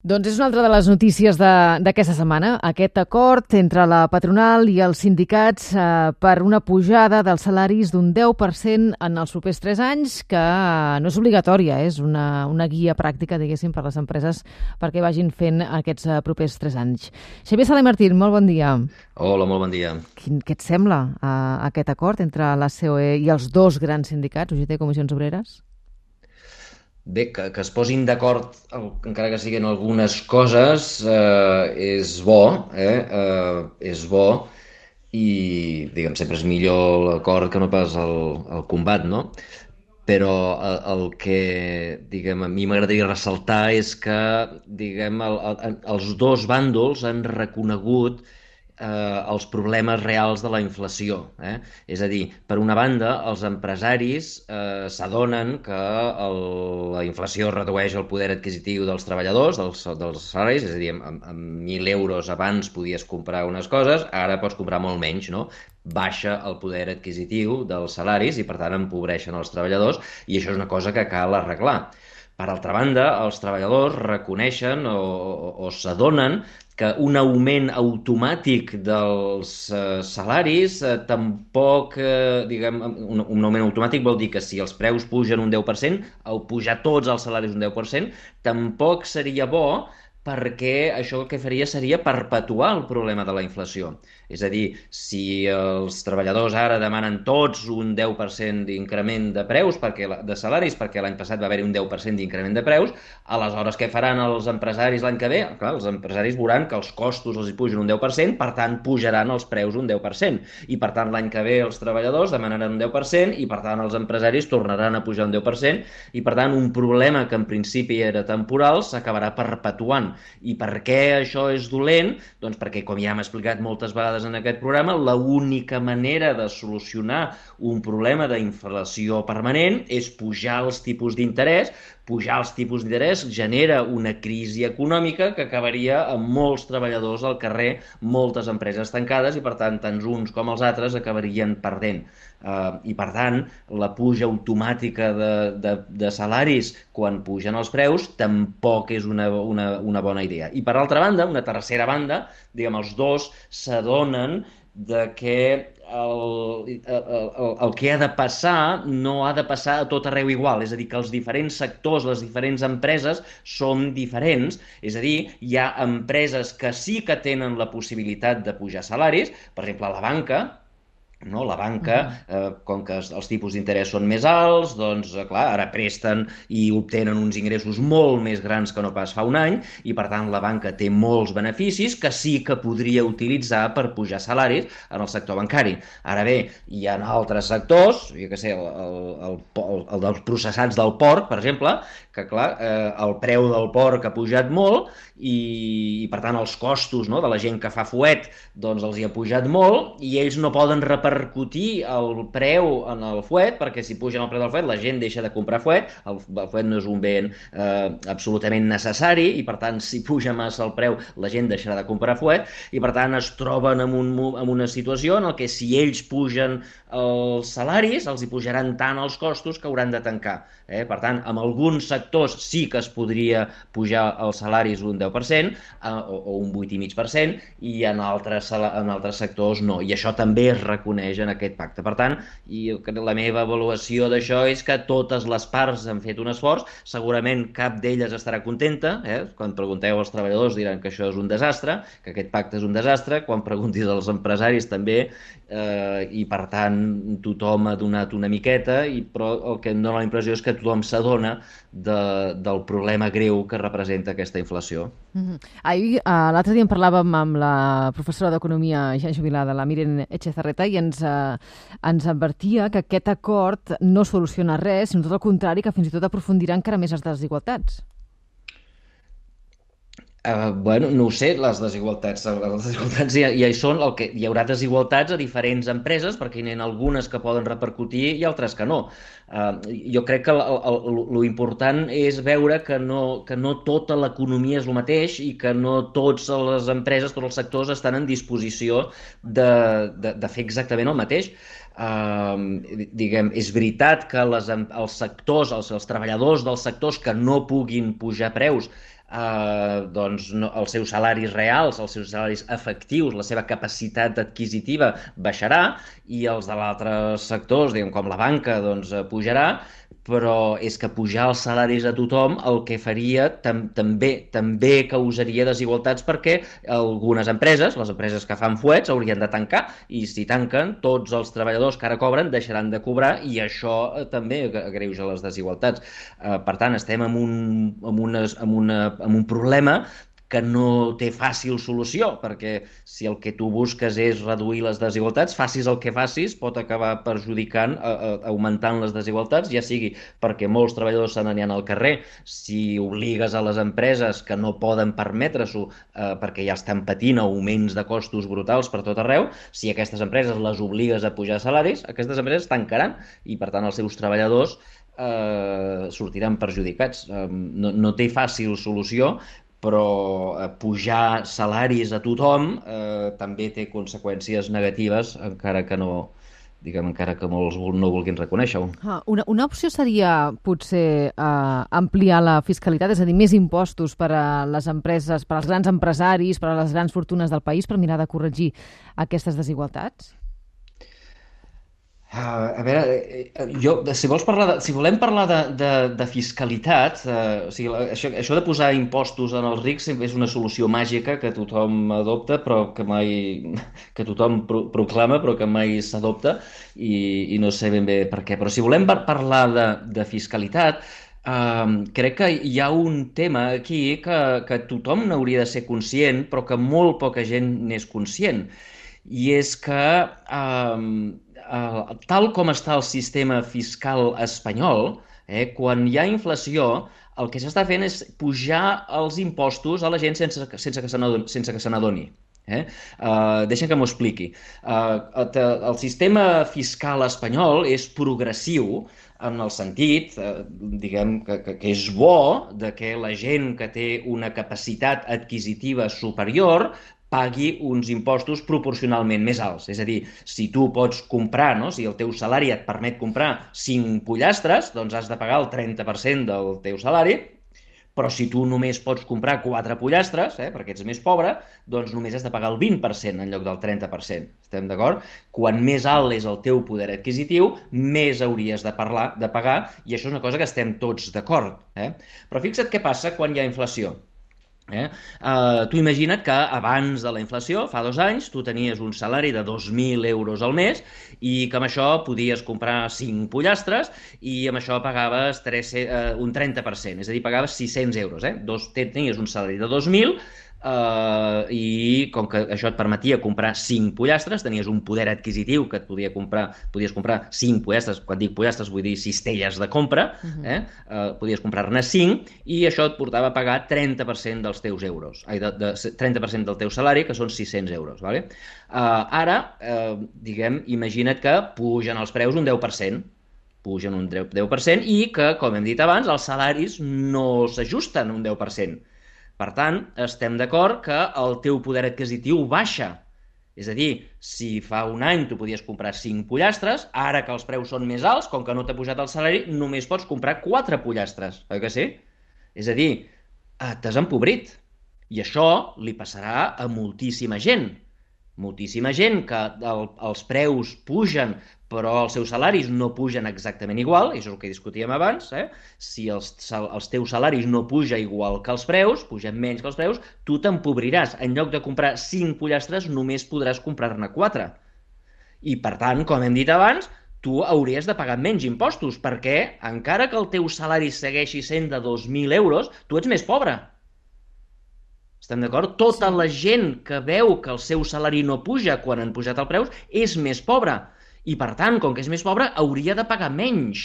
Doncs és una altra de les notícies d'aquesta setmana, aquest acord entre la patronal i els sindicats per una pujada dels salaris d'un 10% en els propers 3 anys, que no és obligatòria, és una guia pràctica, diguéssim, per a les empreses perquè vagin fent aquests propers 3 anys. Xavier Sala i Martín, molt bon dia. Hola, molt bon dia. Què et sembla aquest acord entre la COE i els dos grans sindicats, UGT i Comissions Obreres? Bé, que es posin d'acord, encara que siguin algunes coses, és bo, és bo i, diguem, sempre és millor l'acord que no pas el combat, no? Però el que, diguem, a mi m'agradaria ressaltar és que, diguem, els dos bàndols han reconegut els problemes reals de la inflació. És a dir, per una banda, els empresaris s'adonen que la inflació redueix el poder adquisitiu dels treballadors, dels salaris, és a dir, amb 1.000 euros abans podies comprar unes coses, ara pots comprar molt menys, no? Baixa el poder adquisitiu dels salaris i, per tant, empobreixen els treballadors, i això és una cosa que cal arreglar. Per altra banda, els treballadors reconeixen o s'adonen que un augment automàtic dels salaris tampoc, diguem, un augment automàtic vol dir que si els preus pugen un 10%, o pujar tots els salaris un 10%, tampoc seria bo, perquè això el que faria seria perpetuar el problema de la inflació. És a dir, si els treballadors ara demanen tots un 10% d'increment de preus, de salaris, perquè l'any passat va haver-hi un 10% d'increment de preus, aleshores què faran els empresaris l'any que ve? Clar, els empresaris veuran que els costos els hi pugen un 10%, per tant pujaran els preus un 10%, i per tant l'any que ve els treballadors demanaran un 10%, i per tant els empresaris tornaran a pujar un 10%, i per tant un problema que en principi era temporal s'acabarà perpetuant. I per què això és dolent? Doncs perquè, com ja hem explicat moltes vegades en aquest programa, l'única manera de solucionar un problema d'inflació permanent és pujar els tipus d'interès. Pujar els tipus d'interès genera una crisi econòmica que acabaria amb molts treballadors al carrer, moltes empreses tancades, i per tant tant uns com els altres acabarien perdent. I per tant la puja automàtica de salaris quan pugen els preus tampoc és una bona idea. I per altra banda, una tercera banda, diguem, els dos s'adonen de que el que ha de passar no ha de passar a tot arreu igual, és a dir, que els diferents sectors, les diferents empreses som diferents, és a dir, hi ha empreses que sí que tenen la possibilitat de pujar salaris, per exemple, la banca. No? La banca, com que els tipus d'interès són més alts, doncs, clar, ara presten i obtenen uns ingressos molt més grans que no pas fa un any, i per tant la banca té molts beneficis que sí que podria utilitzar per pujar salaris en el sector bancari. Ara bé, hi ha altres sectors, jo què sé, el dels processats del porc, per exemple, que clar, el preu del porc ha pujat molt i per tant els costos, no, de la gent que fa fuet doncs els hi ha pujat molt, i ells no poden repercutir el preu en el fuet, perquè si pugen el preu del fuet la gent deixa de comprar fuet. El fuet no és un bé absolutament necessari, i per tant si puja massa el preu la gent deixarà de comprar fuet, i per tant es troben en una situació en què si ells pugen els salaris els hi pujaran tant els costos que hauran de tancar. Per tant, en alguns sectors sí que es podria pujar els salaris un 10% o un 8,5%, i en altres sectors no, i això també es reconeix en aquest pacte. Per tant, la meva avaluació d'això és que totes les parts han fet un esforç. Segurament cap d'elles estarà contenta, quan pregunteu als treballadors diran que això és un desastre, que aquest pacte és un desastre, quan preguntis als empresaris també, i per tant tothom ha donat una miqueta, però el que em dóna la impressió és que tothom s'adona del problema greu que representa aquesta inflació. Ahir, l'altre dia en parlàvem amb la professora d'Economia ja jubilada, la Miren Etxezarreta, i ens advertia que aquest acord no soluciona res, sinó tot el contrari, que fins i tot aprofundirà encara més les desigualtats. Bueno, no ho sé, les desigualtats ja hi són, hi haurà desigualtats a diferents empreses, perquè n'hi ha algunes que poden repercutir i altres que no. Jo crec que lo important és veure que no tota l'economia és el mateix, i que no totes les empreses, tots els sectors estan en disposició de fer exactament el mateix. Diguem, és veritat que els sectors, els treballadors dels sectors que no puguin pujar preus doncs no, els seus salaris reals, els seus salaris efectius, la seva capacitat adquisitiva baixarà i els de l'altres sectors, diguem, com la banca, doncs pujarà, però és que pujar els salaris a tothom el que faria també causaria desigualtats perquè algunes empreses, les empreses que fan fuets, haurien de tancar i si tanquen, tots els treballadors que ara cobren deixaran de cobrar i això també agreuja les desigualtats. Per tant, estem amb un problema que no té fàcil solució, perquè si el que tu busques és reduir les desigualtats, facis el que facis, pot acabar perjudicant, augmentant les desigualtats, ja sigui perquè molts treballadors se n'aniran al carrer, si obligues a les empreses que no poden permetre-s'ho perquè ja estan patint augments de costos brutals per tot arreu, si aquestes empreses les obligues a pujar salaris, aquestes empreses tancaran i per tant els seus treballadors sortiran perjudicats. No té fàcil solució, però pujar salaris a tothom també té conseqüències negatives, encara que no, diguem, encara que molts no vulguin reconèixer-ho. Una opció seria potser ampliar la fiscalitat, és a dir, més impostos per a les empreses, per als grans empresaris, per a les grans fortunes del país, per mirar de corregir aquestes desigualtats? A veure, si volem parlar de fiscalitat, o sigui, això de posar impostos en els rics és una solució màgica que tothom adopta, però que mai, que tothom proclama, però que mai s'adopta, i no sé ben bé per què. Però si volem parlar de fiscalitat, crec que hi ha un tema aquí que tothom n'hauria de ser conscient, però que molt poca gent n'és conscient. I és que tal com està el sistema fiscal espanyol, quan hi ha inflació, el que s'està fent és pujar els impostos a la gent sense que se n'adoni. Deixa'm que m'ho expliqui. El sistema fiscal espanyol és progressiu en el sentit, diguem, que és bo de que la gent que té una capacitat adquisitiva superior pagui uns impostos proporcionalment més alts. És a dir, si tu pots comprar, no? Si el teu salari et permet comprar 5 pollastres, doncs has de pagar el 30% del teu salari, però si tu només pots comprar 4 pollastres, perquè ets més pobre, doncs només has de pagar el 20% en lloc del 30%. Estem d'acord? Quan més alt és el teu poder adquisitiu, més hauries de pagar, i això és una cosa que estem tots d'acord. Però fixa't què passa quan hi ha inflació. Tu imagina't que abans de la inflació, fa 2 anys, tu tenies un salari de 2.000 euros al mes i que amb això podies comprar 5 pollastres i amb això pagaves un 30%, és a dir, pagaves 600 euros. Tenies un salari de 2.000 i com que això et permetia comprar 5 pollastres, tenies un poder adquisitiu que podies comprar 5 pollastres, quan dic pollastres vull dir cistelles de compra, podies comprar-ne 5 i això et portava a pagar 30% dels teus euros, 30% del teu salari, que són 600 euros. Vale? Ara, diguem, imagina't que pugen els preus un 10%, pugen un 10% i que, com hem dit abans, els salaris no s'ajusten un 10%. Per tant, estem d'acord que el teu poder adquisitiu baixa. És a dir, si fa un any tu podies comprar 5 pollastres, ara que els preus són més alts, com que no t'ha pujat el salari, només pots comprar 4 pollastres, oi que sí? És a dir, t'has empobrit. I això li passarà a moltíssima gent. Moltíssima gent que els preus pugen però els seus salaris no pugen exactament igual, i això és el que discutíem abans, si els teus salaris no pugen igual que els preus, pugen menys que els preus, tu t'empobriràs. En lloc de comprar 5 pollastres, només podràs comprar-ne 4. I, per tant, com hem dit abans, tu hauries de pagar menys impostos, perquè, encara que el teu salari segueixi sent de 2.000 euros, tu ets més pobre. Estem d'acord? Tota la gent que veu que el seu salari no puja quan han pujat els preus és més pobra. I, per tant, com que és més pobre, hauria de pagar menys.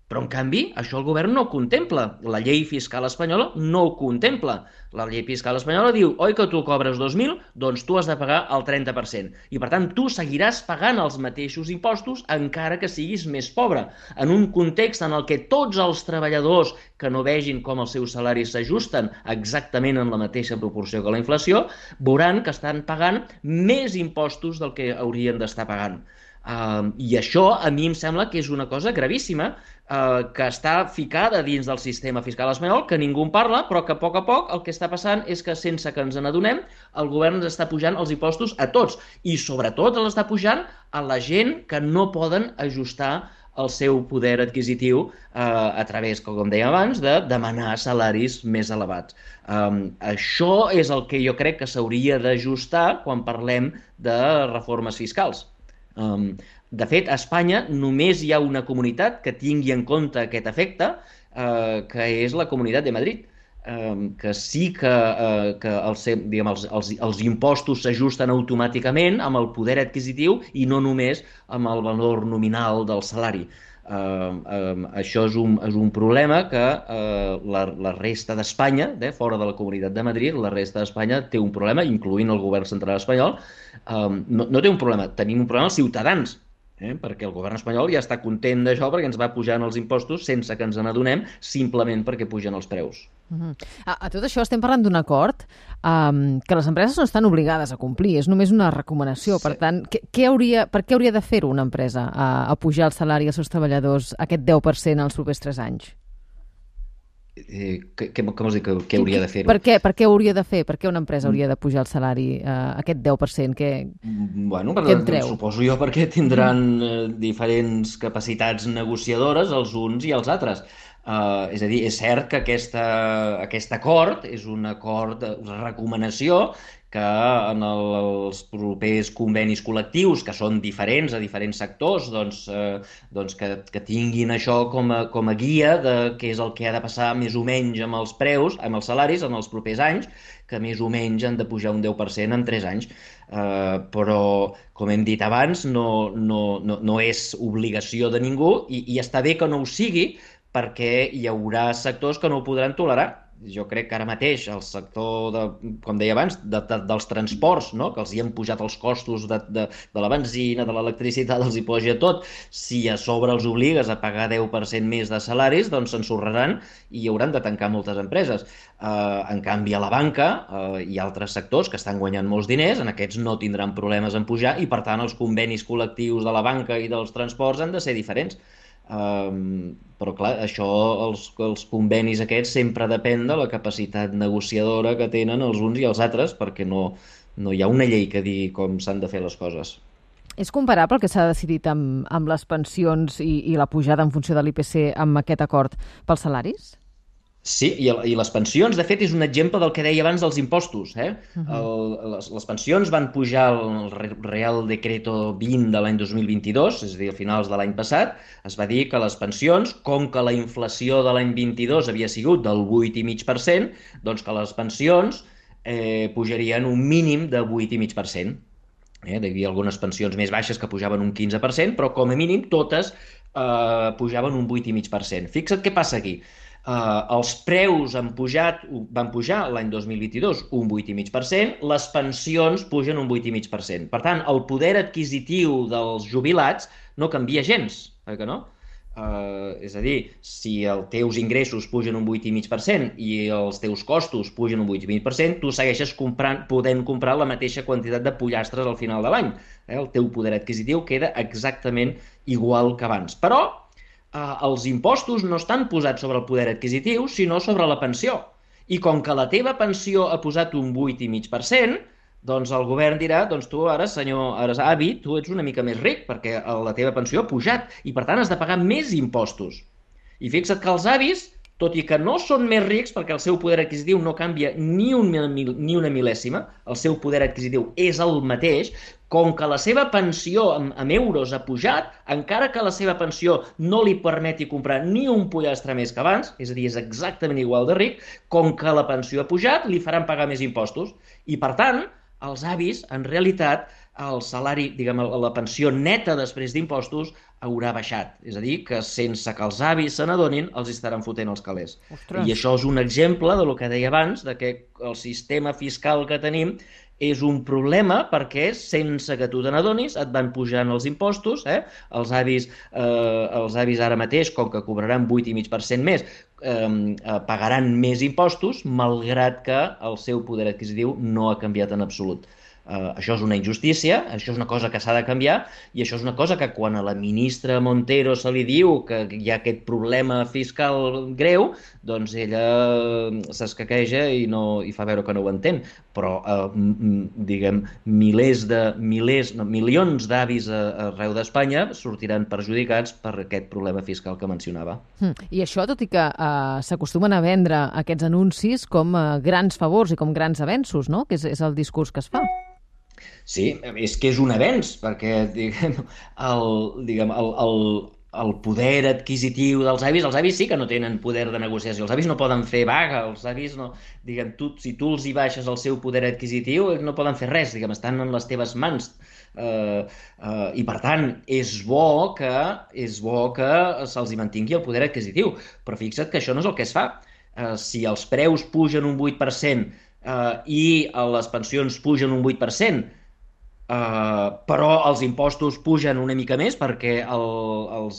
Però, en canvi, això el govern no ho contempla. La llei fiscal espanyola no ho contempla. La llei fiscal espanyola diu, oi que tu cobres 2.000, doncs tu has de pagar el 30%. I, per tant, tu seguiràs pagant els mateixos impostos encara que siguis més pobre. En un context en el que tots els treballadors que no vegin com els seus salaris s'ajusten exactament en la mateixa proporció que la inflació, veuran que estan pagant més impostos del que haurien d'estar pagant. I això a mi em sembla que és una cosa gravíssima que està ficada dins del sistema fiscal espanyol, que ningú en parla, però que a poc el que està passant és que sense que ens n'adonem, el govern ens està pujant els impostos a tots i sobretot els està pujant a la gent que no poden ajustar el seu poder adquisitiu a través, com dèiem abans, de demanar salaris més elevats. Això és el que jo crec que s'hauria d'ajustar quan parlem de reformes fiscals. De fet, a Espanya només hi ha una comunitat que tingui en compte aquest efecte, que és la Comunitat de Madrid, que sí que els impostos s'ajusten automàticament amb el poder adquisitiu i no només amb el valor nominal del salari. Això és un problema que la resta d'Espanya, fora de la Comunitat de Madrid, la resta d'Espanya té un problema, incloent el govern central espanyol. No té un problema, tenim un problema els ciutadans, perquè el govern espanyol ja està content d'això perquè ens va pujant els impostos sense que ens n'adonem, simplement perquè pugen els preus. A tot això estem parlant d'un acord que les empreses no estan obligades a complir, és només una recomanació. Sí. Per tant, per què hauria de fer-ho una empresa a pujar el salari als seus treballadors aquest 10% els propers 3 anys? Com vols dir que hauria de fer-ho? Per què hauria de fer? Per què una empresa hauria de pujar el salari aquest 10%? Què en treu? Suposo jo perquè tindran diferents capacitats negociadores els uns i els altres. És a dir, és cert que aquest acord és un acord de recomanació que en els propers convenis col·lectius, que són diferents a diferents sectors, que tinguin això com a guia de què és el que ha de passar més o menys amb els preus, amb els salaris en els propers anys, que més o menys han de pujar un 10% en 3 anys. Però, com hem dit abans, no és obligació de ningú i està bé que no ho sigui, perquè hi haurà sectors que no ho podran tolerar. Jo crec que ara mateix el sector, com deia abans, dels transports, no? Que els hi han pujat els costos de la benzina, de l'electricitat, els hi puja tot. Si a sobre els obligues a pagar 10% més de salaris, doncs s'ensorraran i hi hauran de tancar moltes empreses. En canvi, a la banca hi ha altres sectors que estan guanyant molts diners, en aquests no tindran problemes en pujar i, per tant, els convenis col·lectius de la banca i dels transports han de ser diferents. Però clar, això, els convenis aquests sempre depèn de la capacitat negociadora que tenen els uns i els altres, perquè no hi ha una llei que digui com s'han de fer les coses. És comparable el que s'ha decidit amb les pensions i la pujada en funció de l'IPC amb aquest acord pels salaris? Sí, i les pensions, de fet, és un exemple del que deia abans dels impostos. Les pensions van pujar el Real Decreto 20 de l'any 2022, és a dir, a finals de l'any passat. Es va dir que les pensions, com que la inflació de l'any 22 havia sigut del 8,5%, doncs que les pensions pujarien un mínim de 8,5%. Hi havia algunes pensions més baixes que pujaven un 15%, però com a mínim totes pujaven un 8,5%. Fixa't què passa aquí. Els preus van pujar l'any 2022 un 8,5%, les pensions pugen un 8,5%. Per tant, el poder adquisitiu dels jubilats no canvia gens, que no? És a dir, si els teus ingressos pugen un 8,5% i els teus costos pugen un 8,5%, tu segueixes podent comprar la mateixa quantitat de pollastres al final de l'any. El teu poder adquisitiu queda exactament igual que abans. Però els impostos no estan posats sobre el poder adquisitiu, sinó sobre la pensió. I com que la teva pensió ha posat un 8,5%, doncs el govern dirà, doncs tu ara, senyor avi, tu ets una mica més ric, perquè la teva pensió ha pujat, i per tant has de pagar més impostos. I fixa't que els avis, tot i que no són més rics, perquè el seu poder adquisitiu no canvia ni una mil·lèsima, el seu poder adquisitiu és el mateix, com que la seva pensió en euros ha pujat, encara que la seva pensió no li permeti comprar ni un pollastre més que abans, és a dir, és exactament igual de ric, com que la pensió ha pujat, li faran pagar més impostos. I, per tant, els avis, en realitat, el salari, la pensió neta després d'impostos haurà baixat. És a dir, que sense que els avis se n'adonin, els estaran fotent els calés. Ostres. I això és un exemple del que deia abans, de que el sistema fiscal que tenim és un problema perquè sense que tu te n'adonis et van pujant els impostos. Els avis ara mateix, com que cobraran 8,5% més, pagaran més impostos, malgrat que el seu poder adquisitiu no ha canviat en absolut. Això és una injustícia, això és una cosa que s'ha de canviar, i això és una cosa que quan a la ministra Montero se li diu que hi ha aquest problema fiscal greu, doncs ella s'escaqueja i fa veure que no ho entén. Però, diguem, milions d'avis arreu d'Espanya sortiran perjudicats per aquest problema fiscal que mencionava. I això, tot i que s'acostumen a vendre aquests anuncis com grans favors i com grans avenços, no? Que és el discurs que es fa. Sí, és que és un avenç, perquè el poder adquisitiu dels avis sí que no tenen poder de negociació, els avis no poden fer vaga, els avis no, si tu els hi baixes el seu poder adquisitiu, no poden fer res, estan en les teves mans. I per tant és bo que se'ls hi mantingui el poder adquisitiu, però fixa't que això no és el que es fa. Si els preus pugen un 8% i les pensions pugen un 8%, però els impostos pugen una mica més perquè com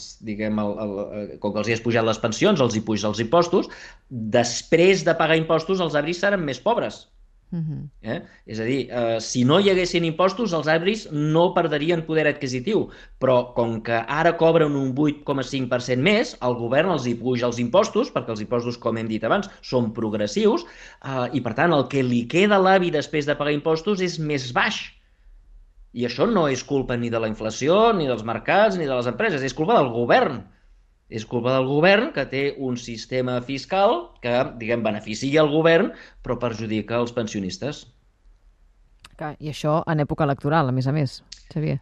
que els hi has pujat les pensions, els hi puges els impostos, després de pagar impostos els avis seran més pobres. És a dir, si no hi haguessin impostos, els avis no perdrien poder adquisitiu, però com que ara cobren un 8,5% més, el govern els hi puja els impostos, perquè els impostos, com hem dit abans, són progressius, i per tant el que li queda a l'avi després de pagar impostos és més baix. I això no és culpa ni de la inflació, ni dels mercats, ni de les empreses, és culpa del govern. És culpa del govern, que té un sistema fiscal que, beneficia el govern, però perjudica els pensionistes. Clar, i això en època electoral, a més, Xavier.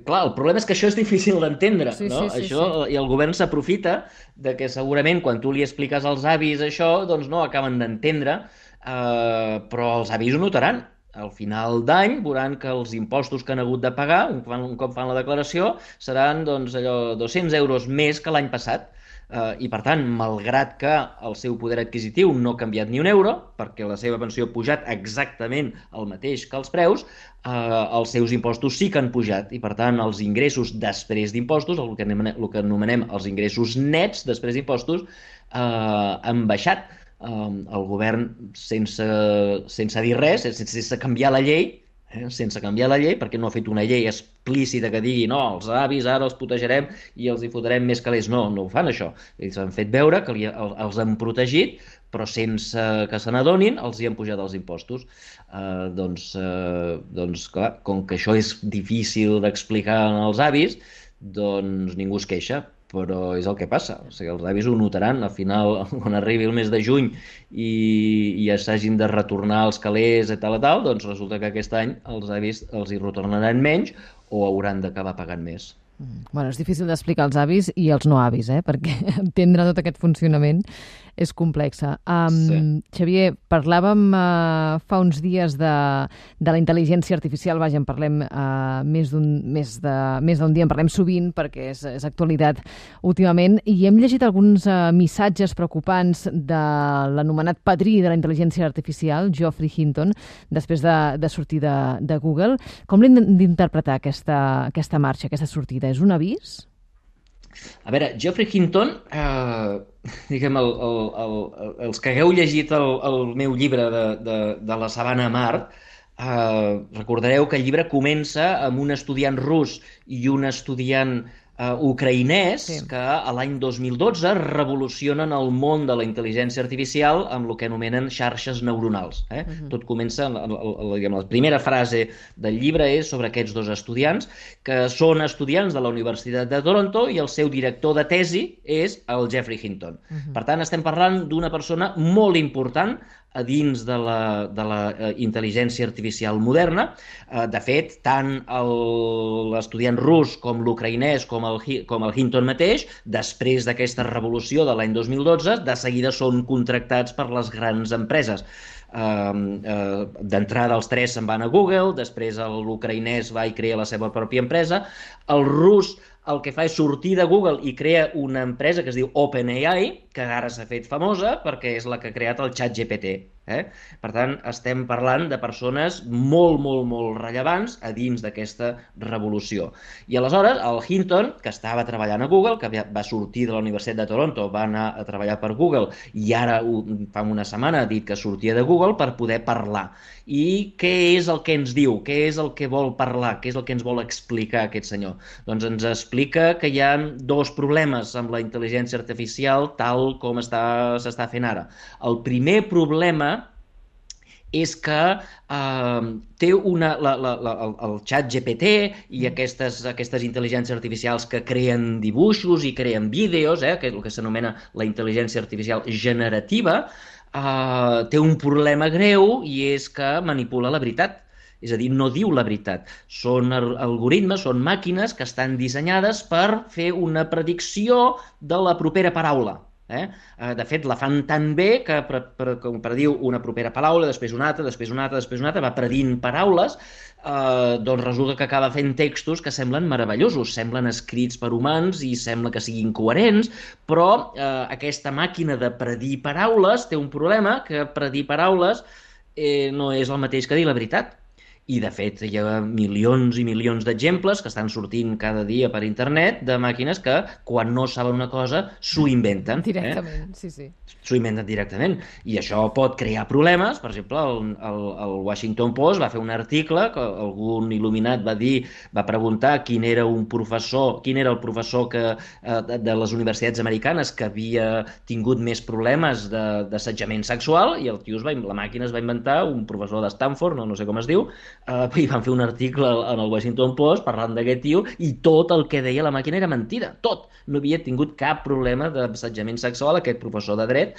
Clar, el problema és que això és difícil d'entendre, no? Sí. I el govern s'aprofita de que segurament quan tu li expliques als avis això, doncs no acaben d'entendre, però els avis ho notaran. Al final d'any veuran que els impostos que han hagut de pagar, un cop fan la declaració, seran 200 euros més que l'any passat. I per tant, malgrat que el seu poder adquisitiu no ha canviat ni un euro, perquè la seva pensió ha pujat exactament el mateix que els preus, els seus impostos sí que han pujat, i per tant els ingressos després d'impostos, el que anomenem els ingressos nets després d'impostos, han baixat. El govern, sense dir res, sense canviar la llei, perquè no ha fet una llei explícita que digui no, els avis ara els protegerem i els hi fotrem més calés. No ho fan això. Ells han fet veure que els han protegit, però sense que se n'adonin els hi han pujat els impostos. Doncs clar, com que això és difícil d'explicar als avis, doncs ningú es queixa. Però és el que passa, o sigui, els avis ho notaran, al final, quan arribi el mes de juny i ja s'hagin de retornar els calés i tal, doncs resulta que aquest any els avis els hi retornaran menys o hauran d'acabar pagant més. Bueno, és difícil d'explicar als avis i als no avis, perquè entendre tot aquest funcionament és complexa. Sí. Xavier, parlàvem fa uns dies de la intel·ligència artificial, vaja, en parlem més d'un dia, en parlem sovint perquè és actualitat últimament, i hem llegit alguns missatges preocupants de l'anomenat padrí de la intel·ligència artificial, Geoffrey Hinton, després de sortir de Google. Com l'hem d'interpretar aquesta marxa, aquesta sortida? És un avís? A veure, Geoffrey Hinton, els que hagueu llegit el meu llibre de la sabana a Mart, recordareu que el llibre comença amb un estudiant rus i un estudiant ucraïnès que a l'any 2012 revolucionen el món de la intel·ligència artificial amb el que anomenen xarxes neuronals. Tot comença, la primera frase del llibre és sobre aquests dos estudiants, que són estudiants de la Universitat de Toronto i el seu director de tesi és el Geoffrey Hinton. Per tant, estem parlant d'una persona molt important a dins de la intel·ligència artificial moderna. De fet, tant l'estudiant rus com l'ucraïnès com el Hinton mateix, després d'aquesta revolució de l'any 2012, de seguida són contractats per les grans empreses. D'entrada els tres se'n van a Google, després l'ucraïnès va i crea la seva pròpia empresa, el rus el que fa és sortir de Google i crea una empresa que es diu OpenAI, que ara s'ha fet famosa perquè és la que ha creat el ChatGPT. Per tant, estem parlant de persones molt, molt, molt rellevants a dins d'aquesta revolució. I aleshores, el Hinton, que estava treballant a Google, que va sortir de la Universitat de Toronto, va anar a treballar per Google i ara, fa una setmana, ha dit que sortia de Google per poder parlar. I què és el que ens diu? Què és el que vol parlar? Què és el que ens vol explicar aquest senyor? Doncs ens explica que hi ha dos problemes amb la intel·ligència artificial tal com s'està fent ara. El primer problema és que té el xat GPT i aquestes intel·ligències artificials que creen dibuixos i creen vídeos, que és el que s'anomena la intel·ligència artificial generativa, té un problema greu i és que manipula la veritat. És a dir, no diu la veritat. Són algoritmes, són màquines que estan dissenyades per fer una predicció de la propera paraula. De fet, la fan tan bé que prediu una propera paraula, després una altra, després una altra, després una altra, va predint paraules, doncs resulta que acaba fent textos que semblen meravellosos, semblen escrits per humans i sembla que siguin coherents, però aquesta màquina de predir paraules té un problema, que predir paraules no és el mateix que dir la veritat. I, de fet, hi ha milions i milions d'exemples que estan sortint cada dia per internet de màquines que, quan no saben una cosa, s'ho inventen. Directament, sí. S'ho inventen directament. I això pot crear problemes. Per exemple, el Washington Post va fer un article que algun il·luminat va preguntar quin era el professor de les universitats americanes que havia tingut més problemes d'assetjament sexual, i la màquina es va inventar un professor de Stanford, no sé com es diu, i van fer un article en el Washington Post parlant d'aquest tio i tot el que deia la màquina era mentida, tot. No havia tingut cap problema d'assetjament sexual aquest professor de dret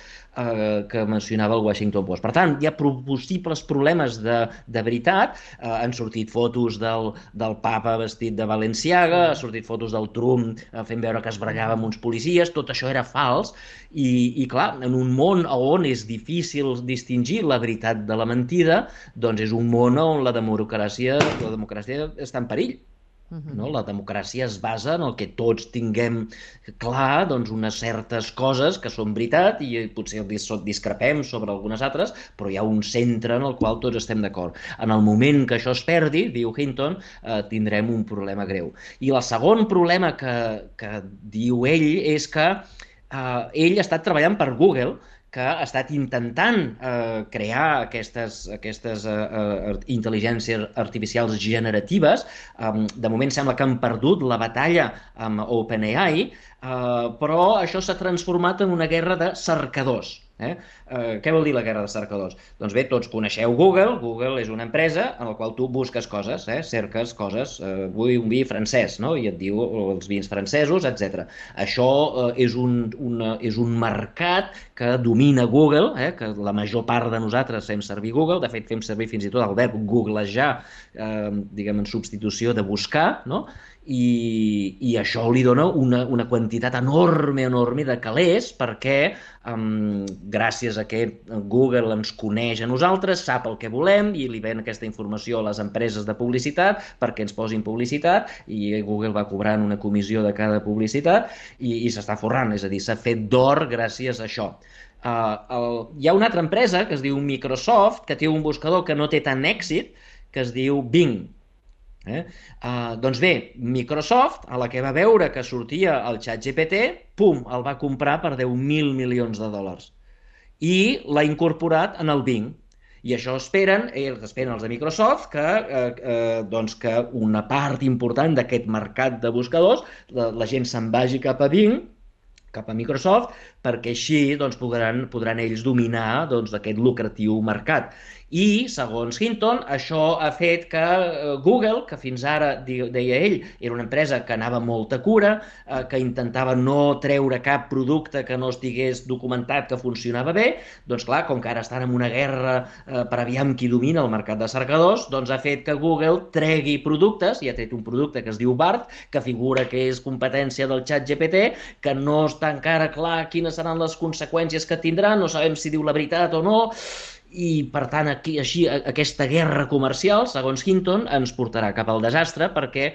que mencionava el Washington Post. Per tant, hi ha possibles problemes de veritat. Han sortit fotos del papa vestit de Balenciaga, han sortit fotos del Trump fent veure que es barallava amb uns policies, tot això era fals i clar, en un món on és difícil distingir la veritat de la mentida, doncs és un món on la democràcia està en perill. No? La democràcia es basa en el que tots tinguem clar, doncs, unes certes coses que són veritat i potser discrepem sobre algunes altres, però hi ha un centre en el qual tots estem d'acord. En el moment que això es perdi, diu Hinton, tindrem un problema greu. I el segon problema que diu ell és que ell ha estat treballant per Google, que ha estat intentant crear aquestes intel·ligències artificials generatives. De moment sembla que han perdut la batalla amb OpenAI, però això s'ha transformat en una guerra de cercadors. Què vol dir la guerra de cercadors? Doncs bé, tots coneixeu Google. Google és una empresa en la qual tu busques coses, cerques coses. Vull un vi francès, no? I et diu els vins francesos, etc. Això és un mercat que domina Google, que la major part de nosaltres fem servir Google. De fet, fem servir fins i tot el verb googlejar, diguem, en substitució de buscar, no? I això li dona una quantitat enorme de calés perquè gràcies a que Google ens coneix a nosaltres, sap el que volem i li ven aquesta informació a les empreses de publicitat perquè ens posin publicitat i Google va cobrant una comissió de cada publicitat i s'està forrant, és a dir, s'ha fet d'or gràcies a això. Hi ha una altra empresa que es diu Microsoft que té un buscador que no té tant èxit que es diu Bing. Doncs bé, Microsoft, a la que va veure que sortia el ChatGPT, pum, el va comprar per 10.000 milions de dòlars i l'ha incorporat en el Bing. I això esperen els de Microsoft que una part important d'aquest mercat de buscadors, la gent se'n vagi cap a Bing, cap a Microsoft, perquè així podran ells dominar aquest lucratiu mercat. I, segons Hinton, això ha fet que Google, que fins ara, deia ell, era una empresa que anava molta cura, que intentava no treure cap producte que no estigués documentat que funcionava bé, doncs clar, com que ara estan en una guerra per aviam qui domina el mercat de cercadors, doncs ha fet que Google tregui productes, i ha tret un producte que es diu BART, que figura que és competència del ChatGPT, que no està encara clar quines seran les conseqüències que tindran, no sabem si diu la veritat o no, i per tant així aquesta guerra comercial, segons Hinton, ens portarà cap al desastre perquè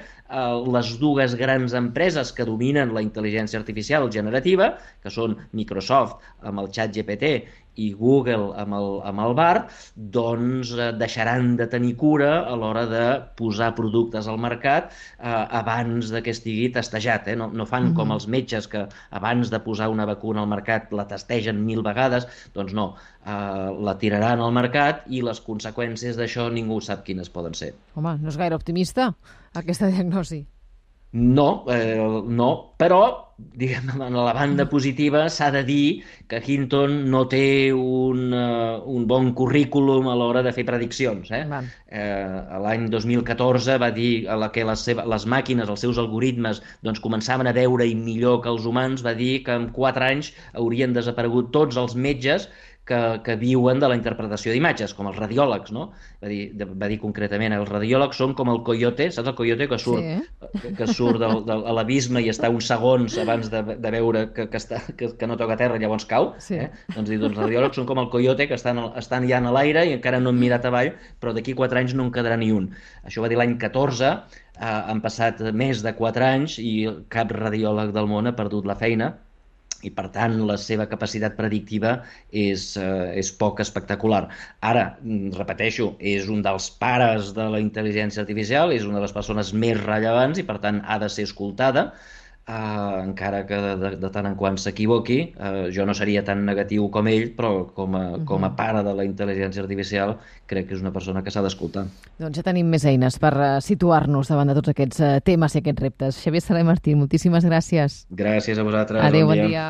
les dues grans empreses que dominen la intel·ligència artificial generativa, que són Microsoft amb el ChatGPT i Google amb el Bard, doncs deixaran de tenir cura a l'hora de posar productes al mercat abans de que estigui testejat. No fan com els metges que abans de posar una vacuna al mercat la testegen 1000 vegades, doncs no, la tiraran al mercat i les conseqüències d'això ningú sap quines poden ser. Home, no és gaire optimista, aquesta diagnosi. No, no, però diguem, en la banda positiva s'ha de dir que Hinton no té un bon currículum a l'hora de fer prediccions. L'any 2014 va dir que les màquines, els seus algoritmes, doncs, començaven a veure millor que els humans, va dir que en 4 anys haurien desaparegut tots els metges que viuen de la interpretació d'imatges, com els radiòlegs, no? Va dir concretament, els radiòlegs són com el coyote, saps el coyote que surt a l'abisme i està uns segons abans de veure que no toca terra i llavors cau? Sí. Doncs els radiòlegs són com el coyote que estan ja en l'aire i encara no han mirat avall, però d'aquí 4 anys no en quedarà ni un. Això va dir l'any 14, han passat més de 4 anys i cap radiòleg del món ha perdut la feina, i per tant la seva capacitat predictiva és poc espectacular. Ara, repeteixo, és un dels pares de la intel·ligència artificial, és una de les persones més rellevants i per tant ha de ser escoltada, encara que de tant en quant s'equivoqui. Jo no seria tan negatiu com ell, però com a pare de la intel·ligència artificial crec que és una persona que s'ha d'escoltar. Doncs ja tenim més eines per situar-nos davant de tots aquests temes i aquests reptes. Xavier Saler Martín, moltíssimes gràcies. Gràcies a vosaltres. Adéu, bon dia.